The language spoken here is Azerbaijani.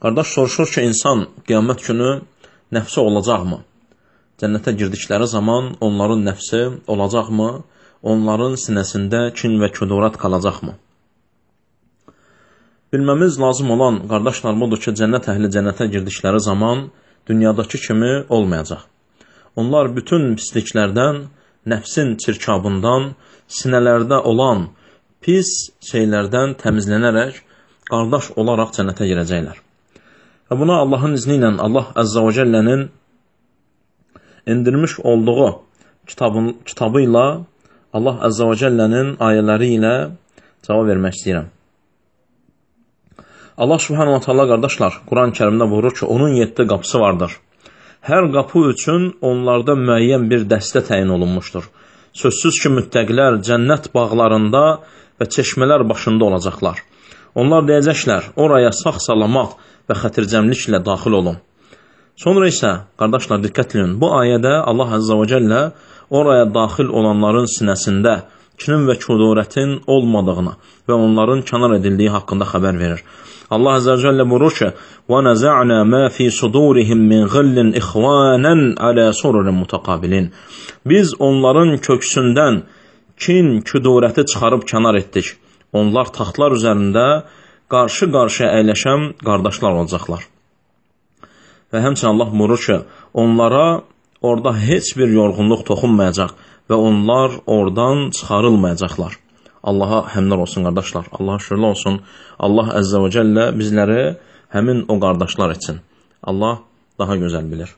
Qardaş soruşur ki, insan qiyamət günü nəfsi olacaqmı? Cənnətə girdikləri zaman onların nəfsi olacaqmı? Onların sinəsində kin və kudurət qalacaqmı? Bilməmiz lazım olan, qardaşlar, budur ki, cənnət əhli cənnətə girdikləri zaman dünyadakı kimi olmayacaq. Onlar bütün pisliklərdən, nəfsin çirkabından, sinələrdə olan pis şeylərdən təmizlənərək, qardaş olaraq cənnətə girəcəklər. Və buna Allahın izni ilə Allah Əzzə və Cəllənin indirmiş olduğu kitabı ilə, Allah Əzzə və Cəllənin ayələri ilə cavab vermək istəyirəm. Allah Subhanahu wa Ta'ala, qardaşlar, Quran-ı Kərimdə buyurur ki, onun 7 qapısı vardır. Hər qapı üçün onlarda müəyyən bir dəstə təyin olunmuşdur. Sözsüz ki, müttəqilər cənnət bağlarında və çeşmələr başında olacaqlar. Onlar deyəcəklər, oraya sağ-salamat və xətircəmliklə daxil olun. Sonra isə, qardaşlar, diqqətləyin, bu ayədə Allah Əzzə və Cəllə oraya daxil olanların sinəsində kinin və kudurətin olmadığını və onların kənar edildiyi haqqında xəbər verir. Allah Əzzə və Cəllə buyurur ki, وَنَزَعْنَا مَا فِي صُدُورِهِمْ مِنْ غِلٍّ إِخْوَانًا عَلَى سُرُرٍ مُتَقَابِلِينَ Biz onların köksündən kin, kudurəti çıxarıb kənar etdik. Onlar taxtlar üzərində qarşı-qarşıya əyləşən qardaşlar olacaqlar. Və həmçinin Allah buyurur ki, onlara orada heç bir yorğunluq toxunmayacaq və onlar oradan çıxarılmayacaqlar. Allaha həmdlər olsun, qardaşlar. Allaha şükürlər olsun. Allah Əzzə və Cəllə bizləri həmin o qardaşlar etsin. Allah daha gözəl bilir.